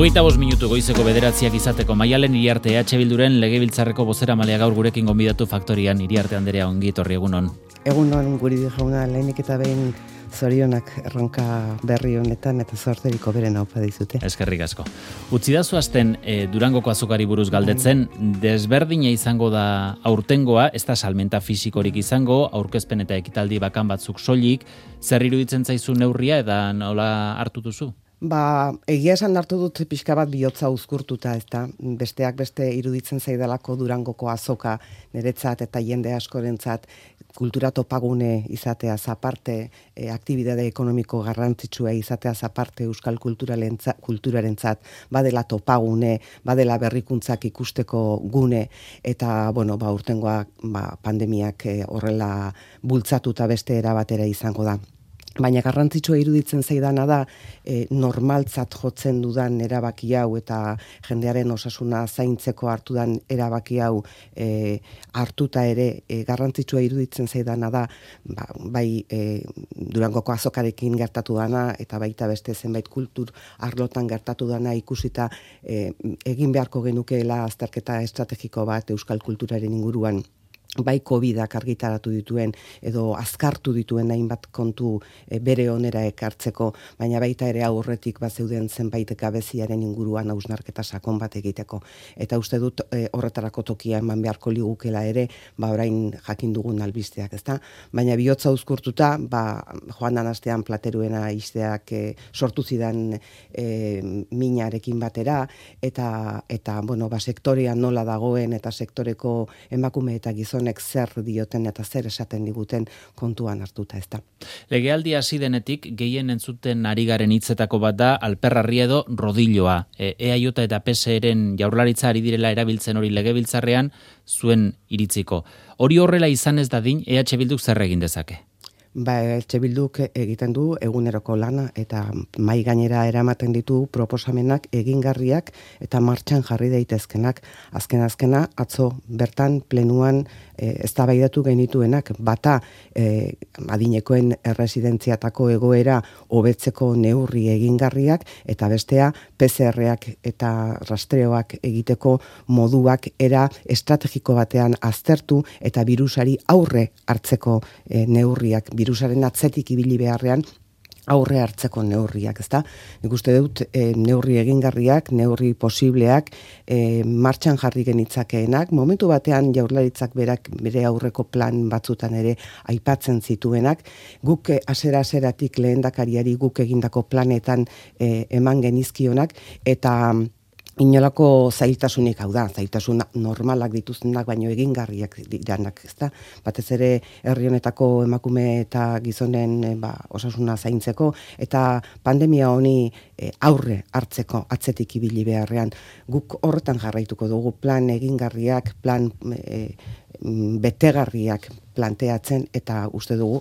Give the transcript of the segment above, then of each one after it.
25 goizeko 9 izateko Maialen Iriarte EH Bilduren legebiltzarreko bozeramaileak gaur gurekin gonbidatu faktorian. Iriarte Anderea, ongi etorri, egunon. Egunon, Guridi jauna, lehenik eta behin zorionak erronka berri honetan eta zorteriko beren haupa dizute. Eskerrik asko. Utzidazu hasten Durangoko azokari buruz galdetzen, desberdina izango da aurtengoa, ez da salmenta fisikorik izango, aurkezpen eta ekitaldi bakan batzuk soilik, zer iruditzen zaizu neurria eta nola hartu duzu? Egia esan hartu dut pixka bat bihotza uzkurtuta, ezta? Besteak beste iruditzen zaidalako Durangoko azoka niretzat eta jende askorentzat kultura topagune izateaz aparte, aktibidade ekonomiko garrantzitsua izateaz aparte euskal kulturarentzat badela topagune, badela berrikuntzak ikusteko gune, eta urtengoa pandemiak horrela bultzatuta beste era batera izango da. Baina garrantzitsua iruditzen zaidana da normaltzat jotzen dudan erabaki hau eta jendearen osasuna zaintzeko hartudan erabaki hau hartuta ere garrantzitsua iruditzen zaidana da bai Durangoko azokarekin gertatu dana eta baita beste zenbait kultur arlotan gertatu dana ikusita egin beharko genukeela azterketa estrategiko bat euskal kulturaren inguruan. Bai COVIDak argitaratu dituen edo azkartu dituen hainbat kontu bere onera ekartzeko, baina baita ere aurretik bazeuden zenbait gabeziaren inguruan hausnarketa sakon bat egiteko. Eta uste dut horretarako tokia eman beharko ligukela ere, orain jakin dugun albisteak, ezta? Baina bihotza uzkurtuta, joan dan astean Plateruena izteak sortu zidan minarekin batera, eta sektorean nola dagoen eta sektoreko emakume eta gizon zer dioten eta zer esaten diguten kontuan hartuta, ezta. Legealdi hasi denetik gehien entzuten ari garen hitzetako bat da Alperrarri edo rodilloa. EAJ eta PSeren jaurlaritza ari direla erabiltzen hori legebiltzarrean zuen iritziko. Hori horrela izan ez dadin, EH Bilduk zer egin dezake? EH Bilduk egiten du eguneroko lana eta mai gainera eramaten ditu proposamenak egingarriak eta martxan jarri daitezkenak. Azkena atzo bertan plenuan eztabaidatu genituenak bata adinekoen erresidentziatako egoera hobetzeko neurri egingarriak eta bestea PCRak eta rastreoak egiteko moduak era estrategiko batean aztertu eta birusari aurre hartzeko neurriak, birusaren atzetik ibili beharrean aurre hartzeko neurriak, ezta? Nik uste dut neurri egingarriak, neurri posibleak, martxan jarri genitzakeenak, momentu batean jaurlaritzak bere aurreko plan batzutan ere aipatzen zituenak, guk hasiera-hasieratik lehendakariari guk egindako planetan eman genizkionak, eta inolako zailtasunik, hau da, zailtasun normalak dituztenak, baino egingarriak diranak, ezta? Batez ere herri honetako emakume eta gizonen osasuna zaintzeko eta pandemia honi aurre hartzeko atzetik ibili beharrean. Guk horretan jarraituko dugu plan egingarriak, plan betegarriak planteatzen eta uste dugu,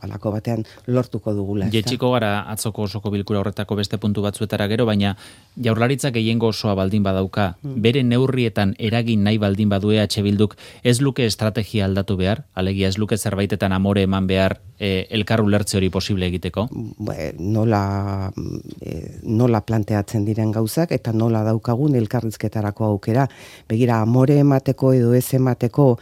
halako batean lortuko dugula. Jetxiko gara atzoko osoko bilkura horretako beste puntu batzuetara gero, baina jaurlaritzak gehiengo osoa baldin badauka, bere neurrietan eragin nahi baldin badu EH Bilduk, ez luke estrategia aldatu behar? Alegia ez luke zerbaitetan amore eman behar elkar ulertze hori posible egiteko? Nola planteatzen diren gauzak eta nola daukagun elkarrizketarako aukera. Begira, amore emateko edo ez emateko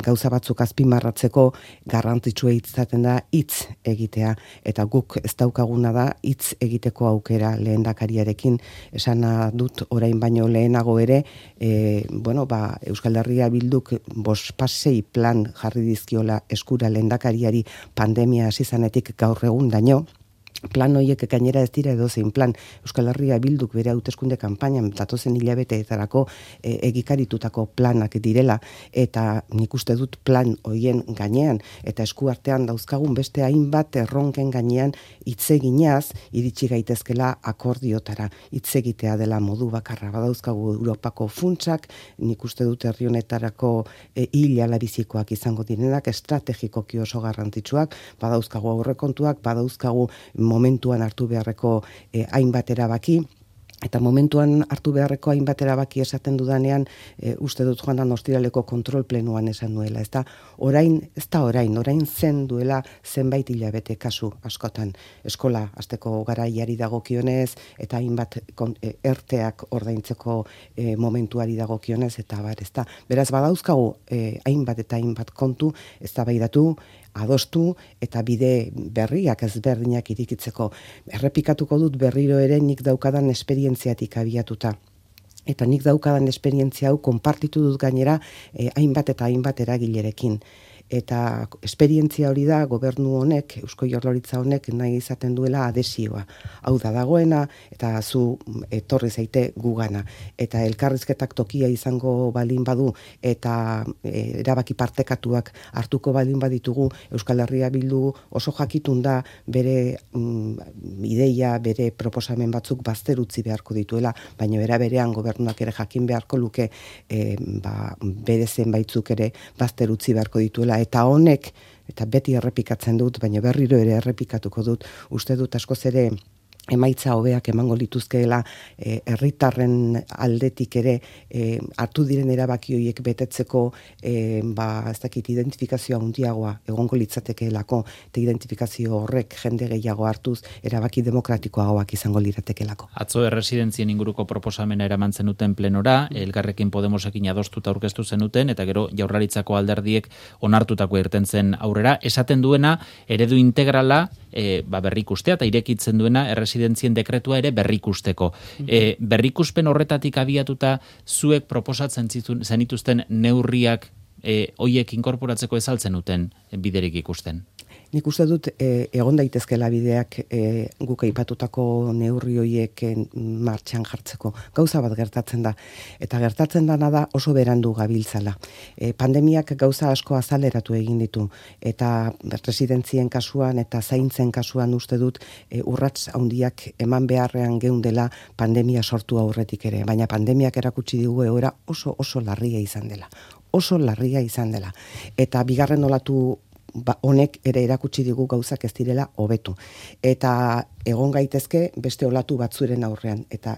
gauza batzuk azpimarratzeko garrantzitsua izaten da hitz egitea, eta guk ez daukaguna da hitz egiteko aukera lehendakariarekin. Esana dut orain baino lehenago ere, Euskal Herria Bilduk 5 plan jarri dizkiola eskura lehendakariari pandemia hasi zanetik gaur egun daño. Plan horiek gainera ez dira edozein plan. Euskal Herria Bilduk bere hauteskunde kanpainan datozen hilabeteetarako egikaritutako planak direla, eta nik uste dut plan horien gainean eta eskuartean dauzkagun beste hainbat erronken gainean hitz eginaz iritsi gaitezkela akordiotara. Hitz egitea dela modu bakarra. Badauzkagu Europako funtsak, nik uste dut herri honetarako hilala bizikoak izango direnak, estrategikoki oso garrantzitsuak, badauzkagu aurrekontuak, badauzkagu momentuan hartu beharreko hainbat erabaki, Eta momentuan hartu beharreko hainbat erabaki esaten dudanean, uste dut joan ostiraleko kontrol plenuan esan nuela. Ez da orain zen duela zenbait hilabete kasu askotan. Eskola hasteko garaiari dagokionez, eta hainbat erteak ordaintzeko momentuari dagokionez, eta ez da. Beraz, badauzkagu hainbat eta hainbat kontu, eztabaidatu, adostu eta bide berriak ezberdinak irikitzeko. Errepikatuko dut berriro ere nik daukadan esperientziatik abiatuta. Eta nik daukadan esperientzia hau konpartitu dut gainera hainbat eta hainbat eragilerekin. Eta esperientzia hori da gobernu honek, Eusko Jaurlaritza honek nahi izaten duela adesioa. Hau da dagoena eta zu etorri zaite gugana. Eta elkarrizketak tokia izango balin badu eta erabaki partekatuak hartuko balin baditugu, Euskal Herria Bildu oso jakitun da bere ideia, bere proposamen batzuk bazter utzi beharko dituela, baina era berean gobernuak ere jakin beharko luke bere zenbaitzuk ere bazter utzi beharko dituela. Eta honek, eta beti errepikatzen dut, baina berriro ere errepikatuko dut, uste dut askoz ere emaitza hobeak emango lituzkeela herritarren aldetik ere hartu diren erabaki horiek betetzeko ez dakit identifikazioa handiagoa egongo litzatekeelako, eta identifikazio horrek jende gehiago hartuz erabaki demokratikoagoak izango liratekeelako. Atzo erresidentzien inguruko proposamena eraman zenuten plenora, Elkarrekin Podemosekin adostuta aurkeztu zenuten, eta gero Jaurlaritzako alderdiek onartutako irten zen aurrera, esaten duena eredu integrala berrikustea eta irekitzen duena erresidentzien dekretua ere berrikusteko. Berrikuspen horretatik abiatuta zuek proposatzen zenituzten neurriak hoiek inkorporatzeko ezaltzen duten biderik ikusten? Nik uste dut egon daitezkela bideak guk aipatutako neurri horiek martxan jartzeko. Gauza bat gertatzen da. Eta gertatzen dana da oso berandu gabiltzala. Pandemiak gauza asko azaleratu egin ditu. Eta residentzien kasuan eta zaintzen kasuan uste dut urrats handiak eman beharrean geundela pandemia sortu aurretik ere. Baina pandemiak erakutsi digu egoera oso larria izan dela. Oso larria izan dela. Eta bigarren olatu honek ere erakutsi digu gauzak ez direla hobetu. Eta egon gaitezke beste olatu batzuren aurrean. Eta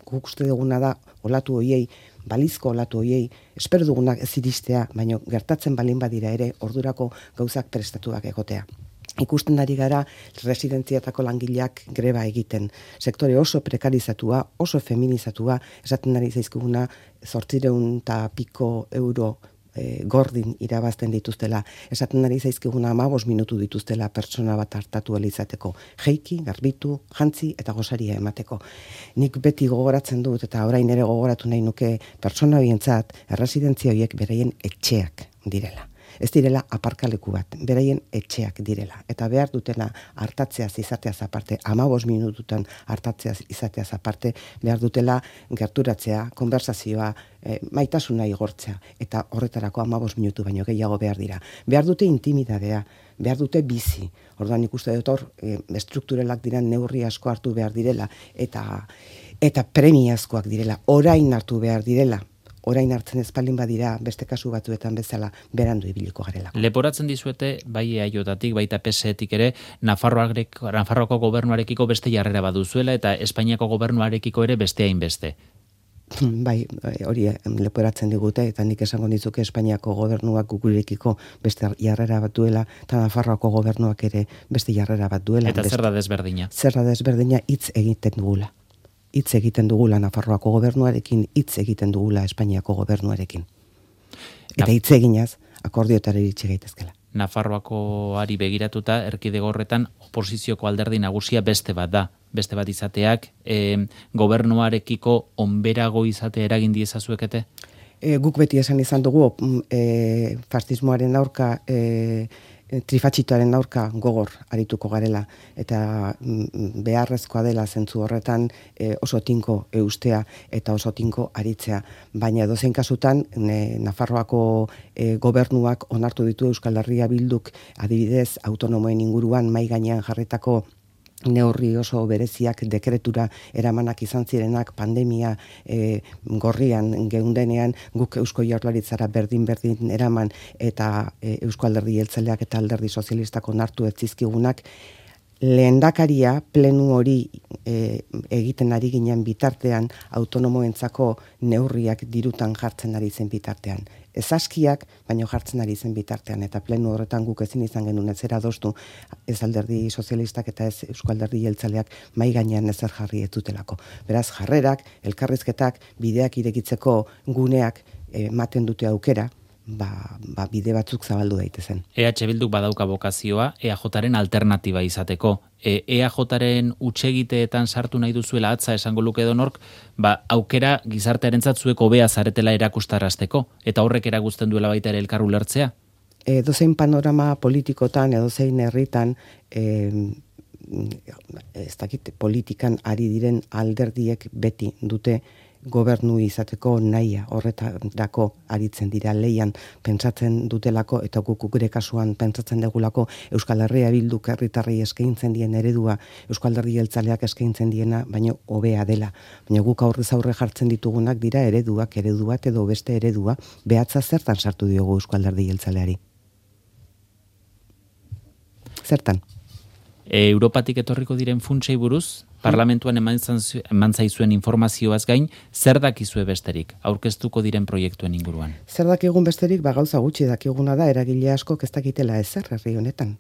guk uste duguna da olatu hoiei, balizko olatu hoiei, espero dugunak ez iristea, baina gertatzen balin badira ere ordurako gauzak prestatuak egotea. Ikusten ari gara residentziatako langileak greba egiten. Sektore oso prekarizatua, oso feminizatua, esaten ari zaizkiguna 800 euro gordin irabazten dituztela, esaten ari zaizkiguna 15 minutu dituztela pertsona bat hartatu izateko, jeiki, garbitu, jantzi eta gosaria emateko. Nik beti gogoratzen dut eta orain ere gogoratu nahi nuke pertsona horientzat erresidentzia horiek beraien etxeak direla. Ez direla aparkaleku bat, beraien etxeak direla. Eta behar dutena hartatzeaz izateaz aparte, 15 minututan hartatzeaz izateaz aparte, behar dutela gerturatzea, konversazioa, maitasuna igortzea. Eta horretarako 15 minutu baino gehiago behar dira. Behar dute intimidadea, behar dute bizi. Orduan ikuste dut hor, estrukturalak diren neurri asko hartu behar direla, eta premiazkoak direla, orain hartu behar direla. Orain hartzen espaldin badira beste kasu batzuetan bezala berandu ibiliko garelako. Leporatzen dizuete, bai EAJtik, baita PSetik ere, Nafarroako gobernuarekiko beste jarrera baduzuela eta Espainiako gobernuarekiko ere beste hainbeste. Bai, hori leporatzen digute, eta nik esango nizuke Espainiako gobernuak gurekiko beste jarrera bat duela, eta Nafarroako gobernuak ere beste jarrera bat duela. Eta zer da desberdina? Zer da desberdina hitz egiten dugula. Hitz egiten dugula Nafarroako gobernuarekin, hitz egiten dugula Espainiako gobernuarekin. Eta hitz eginaz, akordioetara iritsi gaitezkela. Nafarroakoari begiratuta, erkidego horretan oposizioko alderdi nagusia beste bat da. Beste bat izateak, gobernuarekiko onberago izate eragin diezazuekete? Guk beti esan izan dugu, fascismoaren aurka, trifatxitoaren aurka gogor arituko garela, eta beharrezkoa dela zentzu horretan oso tinko eustea eta oso tinko aritzea. Baina edozein kasutan, Nafarroako gobernuak onartu ditu Euskal Herria Bilduk adibidez autonomoen inguruan mahai gainean jarritako neurri oso bereziak dekretura eramanak izan zirenak pandemia gorrian geundenean guk Eusko Jaurlaritzara berdin eraman eta Eusko Alderdi Jeltzaleak eta Alderdi Sozialistak onartu ez zizkigunak lehendakaria plenu hori egiten ari ginen bitartean autonomoentzako neurriak dirutan jartzen ari zen bitartean. Ez askiak, baino jartzen ari zen bitartean, eta plenu horretan guk ezin izan genuen ezera adostu, ez Alderdi Sozialistak eta ez Eusko Alderdi Jeltzaleak mai gainean ezer jarri ez dutelako. Beraz, jarrerak, elkarrizketak, bideak irekitzeko guneak ematen dute aukera, bide batzuk zabaldu daitezen. EH Bilduk badauka bokazioa EAJaren alternatiba izateko. EAJaren hutsegiteetan sartu nahi duzuela atza esango luke edonork, aukera gizartearentzat zuek hobea zaretela erakustarazteko, eta horrek erakusten duela baita ere elkar ulertzea? Edozein panorama politikotan, edozein herritan, ez dakit politikan ari diren alderdiek beti dute gobernu izateko nahia, horretarako aritzen dira leian pentsatzen dutelako, eta guk gure kasuan pentsatzen degulako Euskal Herria Bilduk herritarrei eskaintzen dien eredua, Eusko Alderdi Jeltzaleak eskaintzen diena, baino hobea dela. Baina guk aurrez aurre jartzen ditugunak dira eredu bat edo beste eredua, behatza zertan sartu diogu Eusko Alderdi Jeltzaleari? Zertan? Europatik etorriko diren funtsei buruz, parlamentuan eman zaizuen informazioaz gain, zer dakizue besterik, aurkeztuko diren proiektuen inguruan? Zer dakigun besterik, gauza gutxi dakiguna da, eragile askok ez dakitela ezer herri honetan.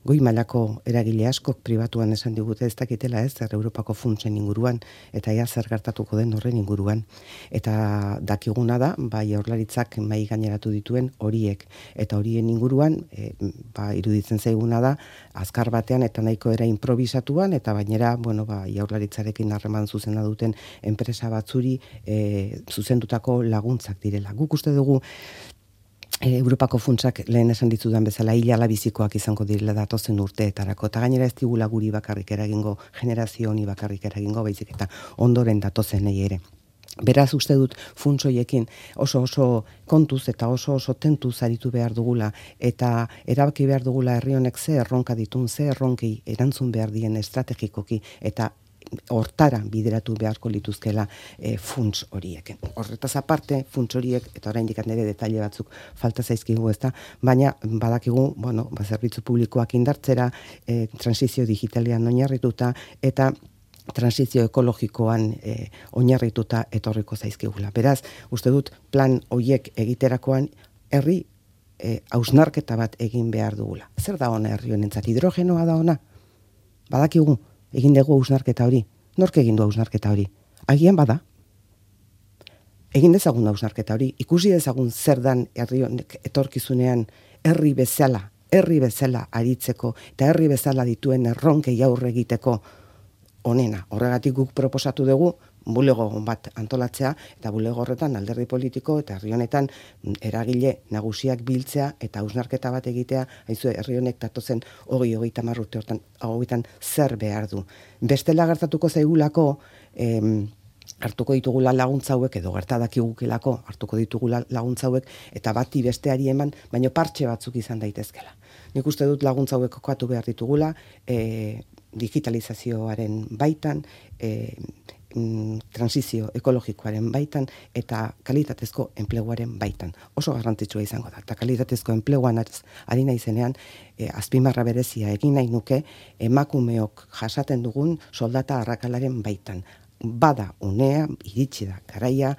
Goi mailako eragile askok pribatuan esan digute ez dakitela ezer Europako funtsen inguruan, eta ea zer gertatuko den horren inguruan. Eta dakiguna da, Jaurlaritzak mai gaineratu dituen horiek, eta horien inguruan, iruditzen zaiguna da, azkar batean eta nahiko era improvisatuan, eta bainera, Jaurlaritzarekin harreman zuzena duten enpresa batzuri zuzendutako laguntzak direla. Guk uste dugu Europako funtsak lehen esan ditzudan bezala hilala bizikoak izango direla datozen urteetarako, eta gainera ez digula guri bakarrik eragingo, generazio honi bakarrik eragingo, baizik eta ondoren datozenei ere. Beraz uste dut funtsoiekin oso kontuz eta oso tentuz aritu behar dugula, eta erabaki behar dugula herri honek ze erronka ditun, ze erronkei erantzun behar dien estrategikoki, eta hortara bideratu beharko lituzkela funts horiek. Horretaz aparte, funts horiek, eta oraindik nire detaile batzuk falta zaizkigu ezta, baina badakigu, zerbitzu publikoak indartzera, transizio digitalean oinarrituta, eta transizio ekologikoan oinarrituta etorriko zaizkigula. Beraz, uste dut plan horiek egiterakoan herri hausnarketa bat egin behar dugula. Zer da ona herri honentzat? Hidrogenoa da ona? Badakigu, egin dugu hausnarketa hori. Nork egin du hausnarketa hori? Agian bada. Egin dezagun hausnarketa hori. Ikusi dezagun zer dan herri honek etorkizunean herri bezala aritzeko, eta herri bezala dituen erronkei aurre egiteko onena. Horregatik guk proposatu dugu bulego bat antolatzea, eta bulego horretan alderdi politiko eta herri honetan eragile nagusiak biltzea eta hausnarketa bat egitea, haizu herri honek datozen 20-30 urte hauetan zer behar du. Bestela gertatuko zaigulako hartuko ditugula laguntza hauek, edo gertadakigukelako hartuko ditugula laguntza hauek, eta bati besteari eman, baino partxe batzuk izan daitezkela. Nik uste dut laguntza hauek kokatu behar ditugula, digitalizazioaren baitan, transizio ekologikoaren baitan, eta kalitatezko enpleguaren baitan. Oso garrantzitsua izango da. Eta kalitatezko enpleguan ari naizenean, azpimarra berezia egin nahi nuke, emakumeok jasaten dugun soldata arrakalaren baitan. Bada unea, iritsi da garaia,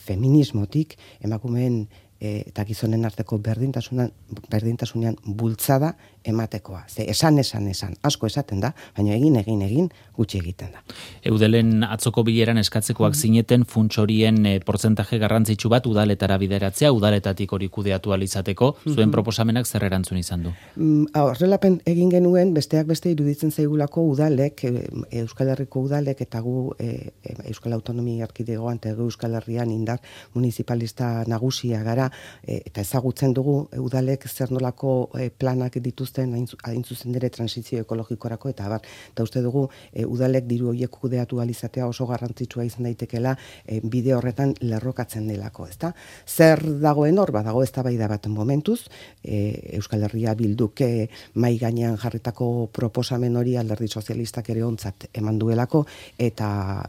feminismotik, emakumeen eta gizonen arteko berdintasunean bultzada ematekoa. Ze esan, asko esaten da, baina egin, gutxi egiten da. Eudelen atzoko bileran eskatzekoak zineten funts horien portzentaje garrantzitsu bat udaletara bideratzea, udaletatik hori kudeatu ahal izateko, zuen proposamenak zer erantzun izan du? Horrelapen egin genuen, besteak beste iruditzen zaigulako udalek, Euskal Herriko udalek, eta gu Euskal Autonomia Erkidegoan eta Euskal Herrian indar municipalista nagusia gara, eta ezagutzen dugu udalek zer nolako planak dituzten hain zuzen ere transizio ekologikorako, eta uste dugu udalek diru horiek kudeatu ahal izatea oso garrantzitsua izan daitekela bide horretan lerrokatzen delako, ezta? Zer dagoen hor, badago eztabaida bat momentuz, Euskal Herria Bilduk mai gainean jarritako proposamen hori Alderdi Sozialistak ere ontzat eman duelako, eta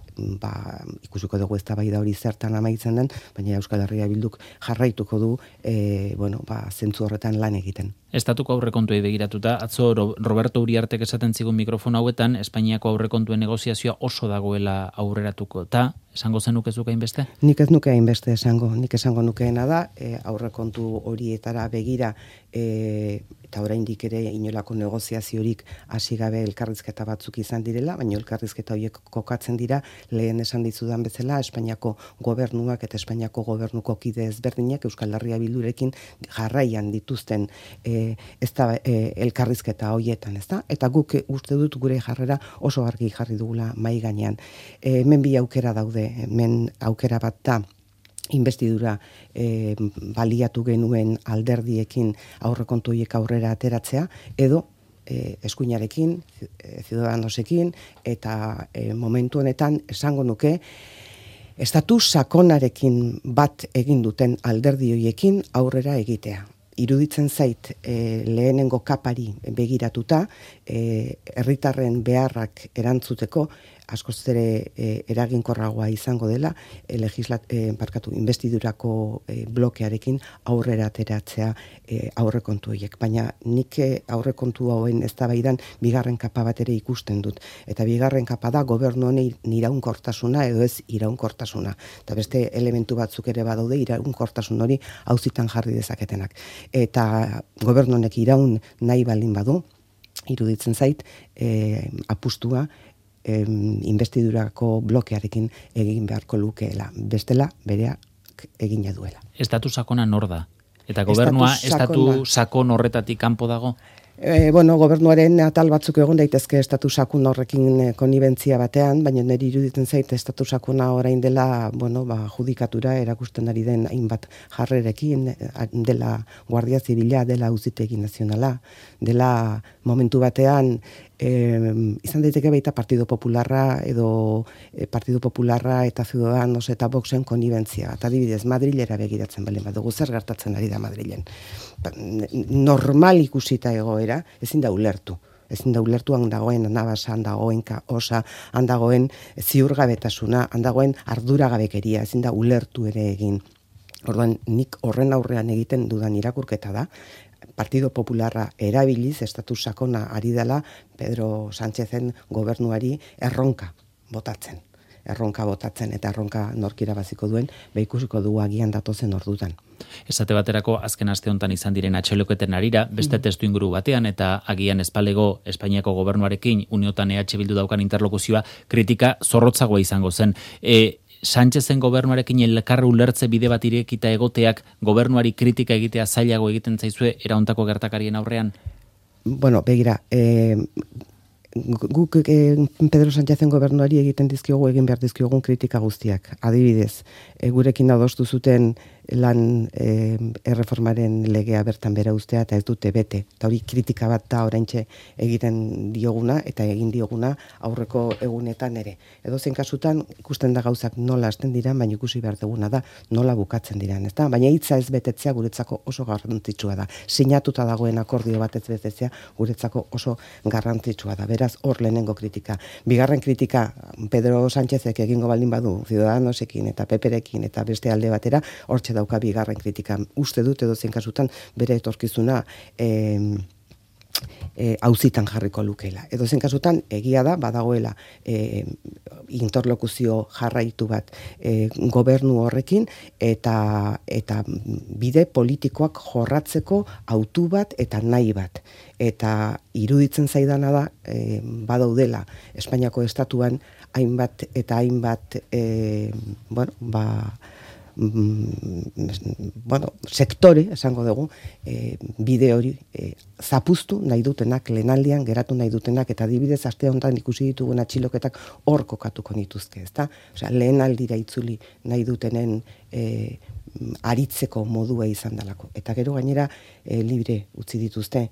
ikusiko dugu eztabaida hori zertan amaitzen den, baina Euskal Herria Bilduk jarraituko du zentzu horretan lan egiten. Estatuko aurrekontuei begiratuta, atzo Roberto Uriartek esaten zigun mikrofono hauetan, Espainiako aurrekontuen negoziazioa oso dagoela aurreratuko. Ta, esango zenuke zuke hainbeste? Nik ez nuke hainbeste esango. Nik esango nukeena da, aurrekontu horietara begira, eta oraindik ere inolako negoziaziorik hasi gabe elkarrizketa batzuk izan direla, baina elkarrizketa horiek kokatzen dira, lehen esan dizudan bezala, Espainiako gobernuak eta Espainiako gobernuko kide ezberdinak Euskal Herria Bildurekin jarraian dituzten elkarrizketa horietan, ezta? Eta guk uste dut gure jarrera oso argi jarri dugula mahai gainean. Hemen bi aukera daude, hemen aukera bat da, investidura baliatu genuen alderdiekin aurrekontu horiek aurrera ateratzea, edo eskuinarekin, Ciudadanosekin, eta momentu honetan esango nuke, estatu sakonarekin bat egin duten alderdi horiekin aurrera egitea. Iruditzen zait lehenengo kapari begiratuta, herritarren beharrak erantzuteko, askoz ere eraginkorragoa izango dela, investidurako blokearekin aurrera ateratzea aurrekontu horiek. Baina nik aurrekontu hauen eztabaidan bigarren kapa bat ere ikusten dut. Eta bigarren kapa da gobernu honei iraunkortasuna edo ez iraunkortasuna. Eta beste elementu batzuk ere badaude iraunkortasun hori auzitan jarri dezaketenak. Eta gobernu honek iraun nahi baldin badu, iruditzen zait, apustua investidurako blokearekin egin beharko lukeela. Bestela, berea egina duela. Estatu sakona nor da? Eta gobernua estatu sakon horretatik kanpo dago? Gobernuaren atal batzuk egon daitezke estatu sakun horrekin konibentzia batean, baina niri iruditzen zait estatu sakuna orain dela, judikatura erakusten ari den hainbat jarrerekin, dela Guardia Zibila, dela Auzitegi Nazionala, dela momentu batean izan daiteke baita Partido Popularra eta Ciudadanos eta Voxen konibentzia. Eta adibidez, Madrilera begiratzen balen badugu, zer gertatzen ari da Madrilen. Normal ikusita egoera, ezin da ulertu. Ezin da ulertu handagoen anabasa, handagoen osa, handagoen ziurgabetasuna, handagoen arduragabekeria, ezin da ulertu ere egin. Orduan, nik horren aurrean egiten dudan irakurketa da, Partido Popularra erabiliz, estatu sakona ari dela, Pedro Sánchezen gobernuari erronka botatzen eta erronka norkira baziko duen, ikusiko dugu agian datozen ordutan. Esate baterako azken aste honetan izan diren atxiloketen arira, beste testu inguru batean eta agian espalego Espainiako gobernuarekin Uniotan EH Bildu daukan interlokuzioa kritika zorrotzagoa izango zen. Sánchezen gobernuarekin elkarra ulertze bide bat irekita egoteak gobernuari kritika egitea zailago egiten zaizue eraontako gertakarien aurrean? Begira, guk Pedro Sánchezen gobernuari egin behar dizkiogun kritika guztiak. Adibidez, gurekin adostu zuten lan erreformaren legea bertan bera ustea eta ez dute bete. Eta hori kritika bat da oraintxe egiten dioguna eta egin dioguna aurreko egunetan ere. Edozein kasutan ikusten da gauzak nola hasten dira, baina ikusi behar duguna da nola bukatzen diran, ezta? Baina hitza ez betetzea guretzako oso garrantzitsua da. Sinatuta dagoen akordio bat ez betetzea guretzako oso garrantzitsua da. Beraz, hor lehenengo kritika. Bigarren kritika Pedro Sánchezek egingo baldin badu Ciudadanosekin eta PPrekin eta beste alde batera, hortxe dauka bigarren kritika. Uste dut edozein kasutan bere etorkizuna auzitan jarriko lukeela. Edozein kasutan egia da badagoela interlokuzio jarraitu bat gobernu horrekin eta bide politikoak jorratzeko autu bat eta nahi bat. Eta iruditzen zaidana da badaudela Espainiako estatuan hainbat eta hainbat sektore, esango dugu, bide hori zapuztu nahi dutenak, lehenaldian geratu nahi dutenak, eta adibidez aste honetan ikusi ditugun atxiloketak hor kokatuko nituzke, ezta? Osea, lehenaldira itzuli nahi dutenen aritzeko modua izan dalako. Eta gero gainera libre utzi dituzte.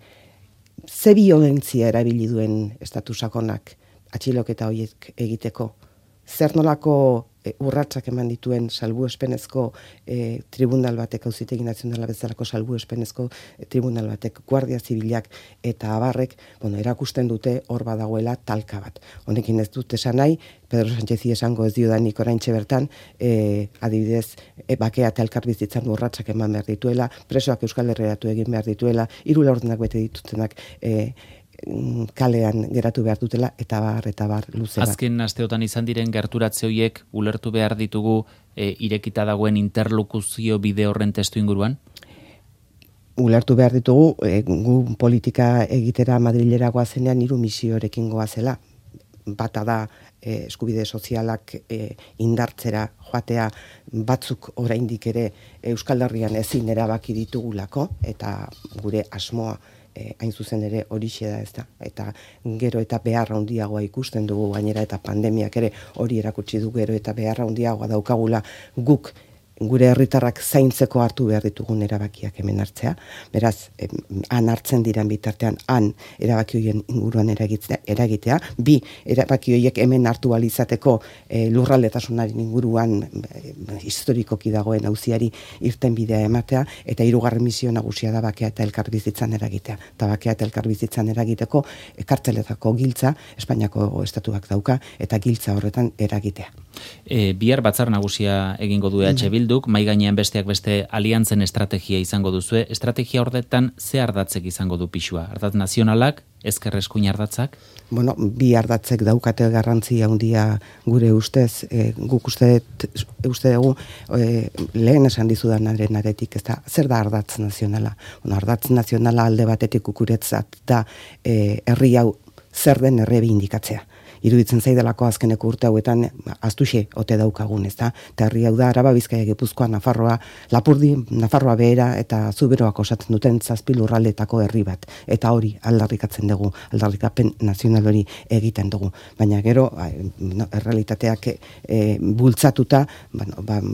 Ze biolentzia erabili duen estatu sakonak atxiloketa horiek egiteko? Zer nolako urratsak eman dituen salbuespenezko tribunal batek, Auzitegi Nazionala bezalako salbuespenezko tribunal batek, Guardia Zibilak eta abarrek, erakusten dute hor badagoela talka bat. Honekin ez dut esan nahi, Pedro Sánchezi esango ez diodanik oraintxe bertan, adibidez, bakea eta elkarbizitzan urratsak eman behar dituela, presoak Euskal Herriratu egin behar dituela, 3 laurdenak bete ditutenak kalean geratu behar dutela, eta bar luze bat. Azken asteotan izan diren gerturatze horiek ulertu behar ditugu irekita dagoen interlokuzio bide horren testu inguruan? Ulertu behar ditugu, gu politika egitera Madrilera goazenean 3 misiorekin goazela. Bata da eskubide sozialak indartzera joatea, batzuk oraindik ere Euskal Herrian ezin erabaki ditugulako, eta gure asmoa hain zuzen ere horixe da, ezta. Eta gero eta beharra handiagoa ikusten dugu, gainera eta pandemiak ere hori erakutsi du, gero eta beharra handiagoa daukagula guk gure herritarrak zaintzeko hartu behar ditugun erabakiak hemen hartzea. Beraz, han hartzen diren bitartean, han erabaki horien inguruan eragitea. 2, erabaki horiek hemen hartu alizateko lurraldetasunaren inguruan historikoki dagoen auziari irten bidea ematea, eta 3. misio nagusia da bakea eta elkarbizitzan eragitea. Eta bakea eta elkarbizitzan eragiteko kartzeletako giltza, Espainiako estatuak dauka, eta giltza horretan eragitea. Bihar batzar nagusia egingo du EH Bilduk, mai gainean besteak beste aliantzen estrategia izango duzue. Estrategia horretan ze ardatzek izango du pixua? Ardatz nazionalak, ezker eskuin ardatzak? Bi ardatzek daukate garrantzia handia gure ustez, guk uste dugu lehen esan dizudanaren aretik, ez da, zer da ardatz nazionala? Ardatz nazionala alde batetik ukuretzat da herri hau zer den errebindikatzea. Iruditzen zaidelako azkeneko urte hauetan astuxe ote daukagun, ezta? Eta herri hau da Araba, Bizkaia, Gipuzkoa, Nafarroa, Lapurdi, Nafarroa Behera eta Zuberoak osatzen duten 7 lurraldetako herri bat. Eta hori aldarrikatzen dugu, aldarrikapen nazional hori egiten dugu. Baina gero, errealitateak bultzatuta,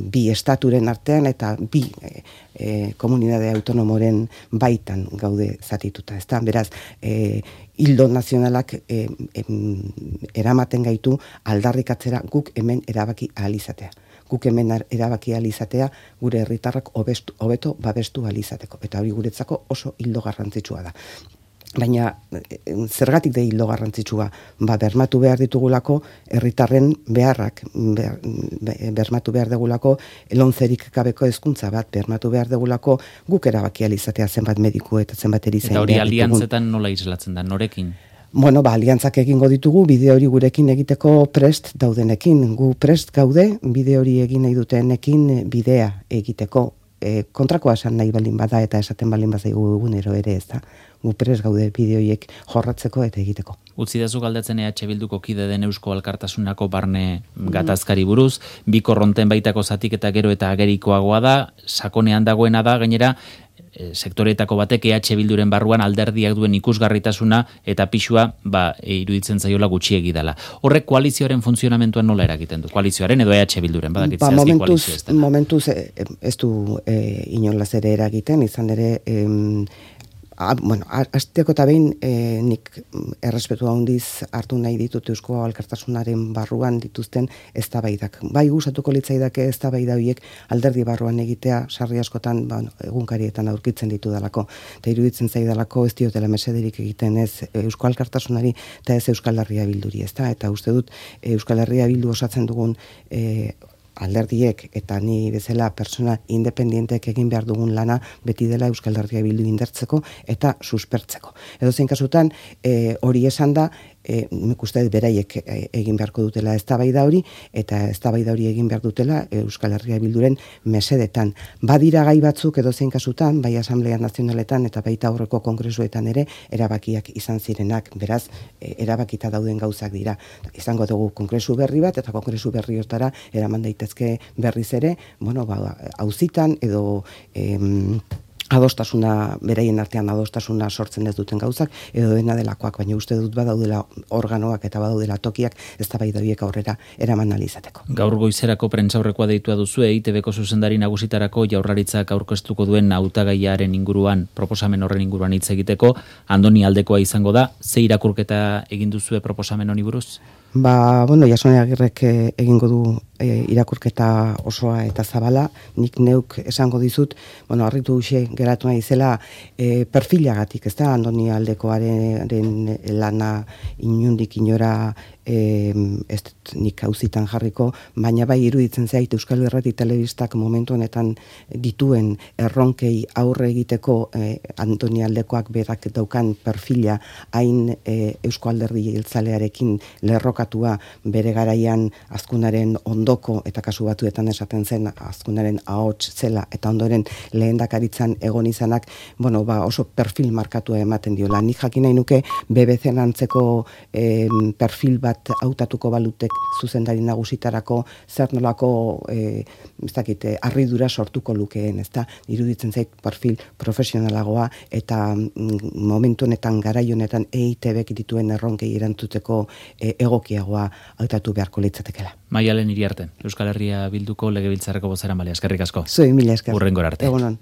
bi estaturen artean eta bi komunitate autonomoren baitan gaude zatituta, ezta? Beraz, hildo nazionalak eramaten gaitu aldarrikatzera guk hemen erabaki ahal izatea. Guk hemen erabaki ahal izatea gure herritarrak hobeto babestu ahal izateko. Eta hori guretzako oso hildo garrantzitsua da. Baina zergatik da hildo garrantzitsua? Bermatu behar ditugulako herritarren beharrak, bermatu behar dugulako lomcerik gabeko hezkuntza bat, bermatu behar dugulako guk erabaki ahal izatea zenbat mediku eta zenbat erizain. Eta hori aliantzetan nola islatzen da, norekin? Aliantzak egingo ditugu, bide hori gurekin egiteko prest daudenekin. Gu prest gaude, bide hori egin nahi dutenekin bidea egiteko. Kontrakoa esan nahi baldin bada eta esaten baldin bazaigu egunero ere, ez da. Gu prest gaude bide horiek jorratzeko eta egiteko. Utzidazu galdetzen EH Bilduko kide den Eusko Alkartasunako barne gatazkari buruz, bi korronten baitako zatik eta gero eta agerikoagoa da, sakonean dagoena da, gainera, sektoreetako batek EH Bilduren barruan alderdiak duen ikusgarritasuna eta pixua iruditzen zaiola gutxiegi dela. Horrek koalizioaren funtzionamentuan nola eragiten du? Koalizioaren edo EH Bilduren, badakit zehazki koalizio ez dela. Momentuz ez du inolaz ere eragiten, izan ere hasteko eta behin nik errespetu handiz hartu nahi ditut Eusko Alkartasunaren barruan dituzten eztabaidak. Bai gustatuko litzaidake eztabaida horiek alderdi barruan egitea sarri askotan egunkarietan aurkitzen ditudalako. Eta iruditzen zaidalako ez diotela mesederik egiten ez Eusko Alkartasunari eta ez Euskal Herria Bilduri, ezta? Eta uste dut Euskal Herria Bildu osatzen dugun alderdiek eta ni bezala persona independientek egin behar dugun lana beti dela Euskal Herria Bildu indartzeko eta suspertzeko. Edozein kasutan hori esan da, nik uste beraiek egin beharko dutela eztabaida hori eta eztabaida hori egin behar dutela Euskal Herria Bilduren mesedetan. Badira gai batzuk edozein kasutan, bai Asamblea Nazionaletan eta baita aurreko kongresuetan ere erabakiak izan zirenak, beraz erabakita dauden gauzak dira. Izango dugu kongresu berri bat eta kongresu berri hortara eraman daitezke berriz ere, auzitan edo adostasuna, beraien artean adostasuna sortzen ez duten gauzak, edo dena delakoak, baina uste dut badaudela organoak eta badaudela tokiak eztabaida horiek aurrera eraman ahal izateko. Gaur goizerako prentsaurrekoa deitua duzu, EITBko zuzendari nagusitarako Jaurlaritzak aurkeztuko duen hautagaiaren inguruan, proposamen horren inguruan hitz egiteko, Andoni aldekoa izango da, ze irakurketa egin duzue proposamen honi buruz? Bueno, Jasone Agirrek egingo du irakurketa osoa eta zabala, nik neuk esango dizut, harritu huxe geratu nahi zela perfilagatik, ez da, Andoni Aldekoaren lana inundik inora ez dut nik hauzitan jarriko, baina bai iruditzen zait Euskal Irrati Telebistak momentu honetan dituen erronkei aurre egiteko Andoni Aldekoak berak daukan perfila hain Eusko Alderdi Jeltzalearekin lerrokatua bere garaian Azkunaren ondoko eta kasu batuetan esaten zen Azkunaren ahots zela eta ondoren lehendakaritzan egon izanak, oso perfil markatua ematen diola. Nik jakin nahi nuke BBC antzeko perfil bat hautatuko balutek zuzendari nagusitarako zer nolako harridura sortuko lukeen, ezta? Iruditzen zait perfil profesionalagoa eta momentu honetan garai honetan EITBek dituen erronkei erantzuteko egokiagoa hautatu beharko litzatekeela. Maialen Iriarte, Euskal Herria Bilduko legebiltzarreko bozeramailea, eskerrik asko. Zuei mila esker. Hurrengora arte. Egunon.